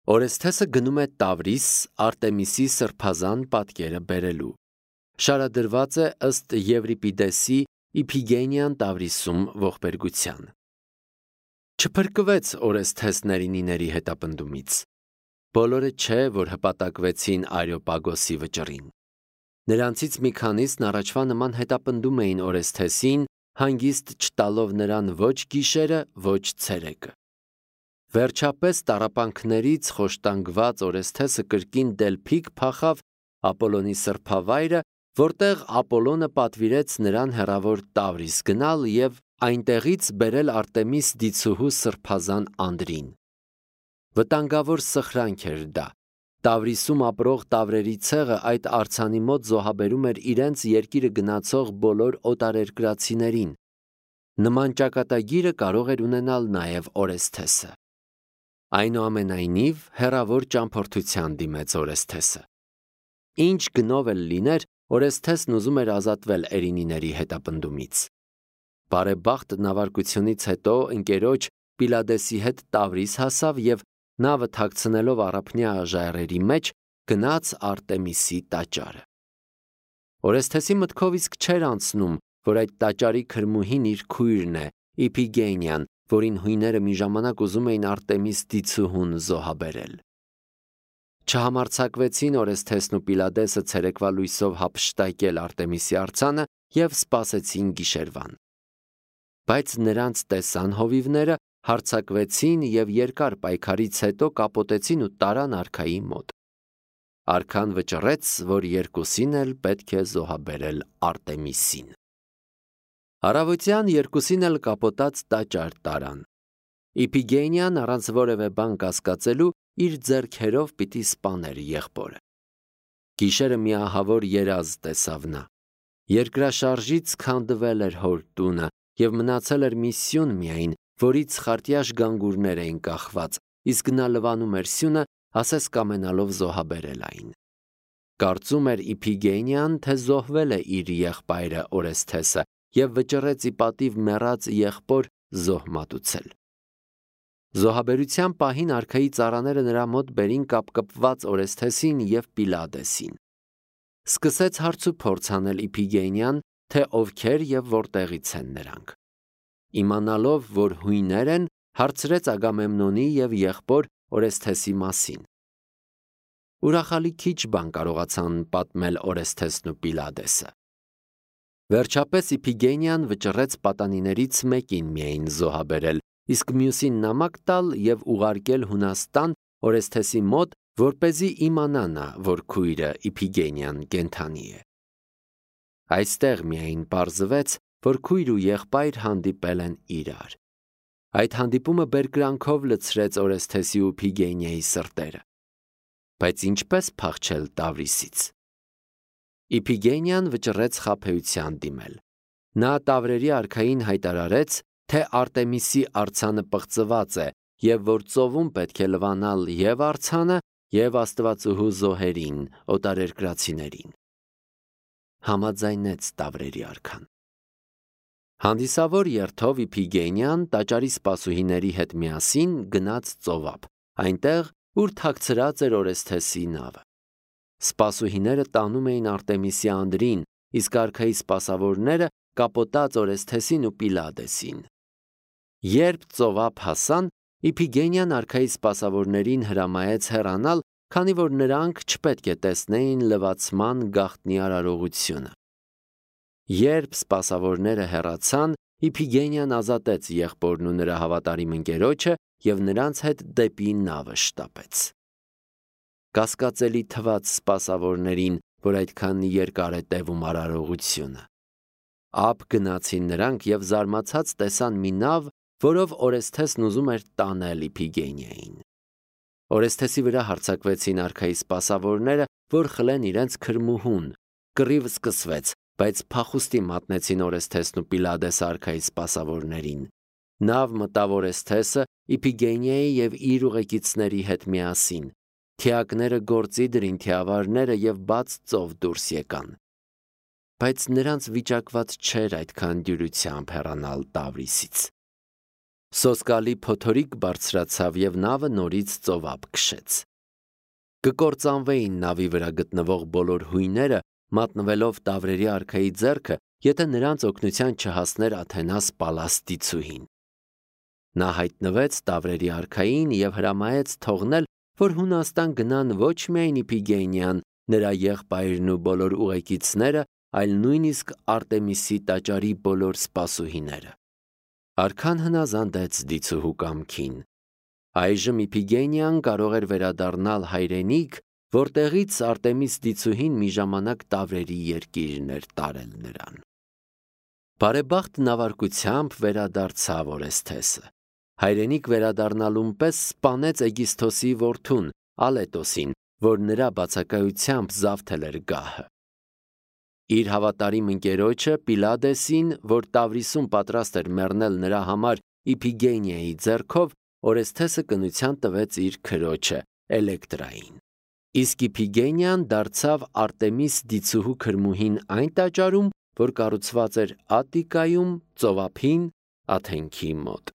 Օրեսթեսը գնում է Տավրիս Արտեմիսի սրբազան պատկերը բերելու։ Շարադրված է ըստ Եվրիպիդեսի Իփիգենիան Տավրիսում ողբերգության։ Չփրկվեց Օրեսթեսներինիների հետապնդումից։ Բոլորը չէ, որ հպատակվեցին Արեոպագոսի վճռին։ Նրանցից մի քանիսն առաջվա նման հետապնդում էին Օրեսթեսին, հանգիստ չտալով նրան ոչ գիշերը, ոչ ցերեկը։ Վերջապես տառապանքներից խոշտանգված Օրեսթեսը կրկին Դելփիկ փախավ Ապոլոնի սրբավայրը, որտեղ Ապոլոնը պատվիրեց նրան հեռավոր Տավրիս գնալ եւ այնտեղից բերել Արտեմիս դիցուհու սրբազան անդրին։ Վտանգավոր սխրանք էր դա։ Տավրիսում ապրող տավրերի ցեղը այդ արձանի մոտ զոհաբերում էր իրենց երկիրը գնացող բոլոր օտարերկրացիներին։ Նման ճակատագիրը կարող էր ունենալ նաև Օրեսթեսը։ Այնուամենայնիվ, հեռավոր ճամփորդության դիմեց Օրեսթեսը։ Ինչ գնով էլ լիներ, Օրեսթեսն ուզում էր ազատվել Էրինիների հետապնդումից։ Բարեբախտ նավարկությունից հետո ընկերոջ Պիլադեսի հետ Տավրիս հասավ եւ նավը թաքցնելով առափնյա ժայռերի մեջ գնաց Արտեմիսի տաճարը։ Օրեսթեսի մտքով իսկ չէր անցնում, որ այդ տաճարի քրմուհին իր քույրն է, Իփիգենիան, որին հույները մի ժամանակ ուզում էին Արտեմիս դիցուհուն զոհաբերել։ Չհամարձակվեցին Օրեսթեսն ու Պիլադեսը ցերեկվա լույսով հափշտակել Արտեմիսի արձանը եւ սպասեցին գիշերվան։ Բայց նրանց տեսան հովիվները, հարձակվեցին եւ երկար պայքարից հետո կապոտեցին ու տարան արքայի մոտ։ Արքան վճռեց, որ երկուսին էլ պետք է զոհաբերել Արտեմիսին։ Առավոտյան երկուսին էլ կապոտած տաճար տարան։ Իփիգենիան առանց որևէ բան կասկածելու իր ձեռքերով պիտի սպաներ եղբորը։ Գիշերը մի ահավոր երազ տեսավ նա։ Երկրաշարժից քանդվել էր հոր տունը եւ մնացել էր մի սյուն միայն, որից խարտյաշ գանգուրներ էին կախված, իսկ նա լվանում էր սյունը, ասես կամենալով զոհաբերել այն։ Կարծում էր Իփիգենիան, թե զոհվել է իր եղբայրը Օրեսթեսը եւ վճռեց ի պատիվ մեռած եղբոր զոհ մատուցել։ Զոհաբերության պահին արքայի ծառաները նրա մոտ բերին կապկպված Օրեսթեսին եւ Պիլադեսին։ Սկսեց հարց ու փորձ անել Իփիգենիան, թե ովքեր եւ որտեղից են նրանք։ Իմանալով, որ հույներ են, հարցրեց Ագամեմնոնի եւ եղբոր Օրեսթեսի մասին։ Ուրախալի քիչ բան կարողացան պատմել Օրեսթեսն ու Պիլադեսը։ Վերջապես Իփիգենիան վճռեց պատանիներից մեկին միայն զոհաբերել, իսկ մյուսին նամակ տալ եւ ուղարկել Հունաստան Օրեսթեսի մոտ, որպեսզի իմանա նա, որ քույրը Իփիգենիան կենդանի է։ Այստեղ միայն պարզվեց, որ քույր ու եղբայր հանդիպել են իրար։ Այդ հանդիպումը բերկրանքով լցրեց Օրեսթեսի ու Իփիգենիայի սրտերը։ Բայց ինչպես փախչել Տավրիսից։ Իփիգենիան վճռեց խաբեության դիմել։ Նա տավրերի արքային հայտարարեց, թե Արտեմիսի արձանը պղծված է եւ որ ծովում պետք է լվանալ եւ արձանը եւ Աստվածուհու զոհերին, օտարերկրացիներին։ Համաձայնեց տավրերի արքան։ Հանդիսավոր երթով Իփիգենիան տաճարի սպասուհիների հետ միասին գնաց ծովափ, այնտեղ, ուր թաքցրած էր Օրեսթեսի նավը։ Սպասուհիները տանում էին Արտեմիսի անդրին, իսկ արքայի սպասավորները կապոտած Օրեսթեսին ու Պիլադեսին։ Երբ ծովափ հասան, Իփիգենիան արքայի սպասավորներին հրամայեց հեռանալ, քանի որ նրանք չպետք է տեսնեին լվացման գաղտնի արարողությունը։ Երբ սպասավորները հեռացան, Իփիգենիան ազատեց եղբորն ու նրա հավատարիմ ընկերոջը եւ նրանց հետ դեպի նավը շտապեց։ Կասկածելի թվաց սպասավորներին, որ այդքան երկար է տևում արարողությունը։ Ափ գնացին նրանք եւ զարմացած տեսան մի նավ, որով Օրեսթեսն ուզում էր տանել Իփիգենիային։ Օրեսթեսի վրա հարձակվեցին արքայի սպասավորները, որ խլեն իրենց քրմուհուն։ Կռիվ սկսվեց, բայց փախուստի մատնեցին Օրեսթեսն ու Պիլադես արքայի սպասավորներին։ Նավ մտավ Օրեսթեսը Իփիգենիայի եւ իր ուղեկիցների հետ միասին։ Թիակները գործի դրին թիավարները եւ բաց ծով դուրս եկան։ Բայց նրանց վիճակված չէր այդքան դյուրությամբ հեռանալ Տավրիսից։ Սոսկալի փոթորիկ բարձրացավ և նավը նորից ծովափ քշեց։ Կկործանվեին նավի վրա գտնվող բոլոր հույները, մատնվելով Տավրերի արքայի ձեռքը, եթե նրանց օգնության չհասներ Աթենաս Պալաստիցուհին։ Նա հայտնվեց Տավրերի արքային և հրամայեց թողնել, որ Հունաստան գնան ոչ միայն Իփիգենիան, նրա եղբայրն ու բոլոր ուղեկիցները, այլ նույնիսկ Արտեմիսի տաճարի բոլոր սպասուհիները։ Արքան հնազանդեց դիցուհու կամքին։ Այժմ Իփիգենիան կարող էր վերադառնալ հայրենիք, որտեղից Արտեմիս դիցուհին մի ժամանակ Տավրերի երկիրն էր տարել նրան։ Բարեբախտ նավարկությամբ վերադարձավ Օրեսթեսը։ Հայրենիք վերադառնալուն պես սպանեց Էգիսթոսի որդուն Ալետոսին, որ նրա բացակայությամբ զավթել էր գահը։ Իր հավատարիմ ընկերոջը Պիլադեսին, որ Տավրիսում պատրաստ էր մեռնել նրա համար Իփիգենիայի ձեռքով, Օրեսթեսը կնության տվեց իր քրոջը Էլեկտրային։ Իսկ Իփիգենիան դարձավ Արտեմիս դիցուհու քրմուհին այն տաճարում, որ կառուցված էր Ատտիկայում, ծովափին, Աթենքի մոտ։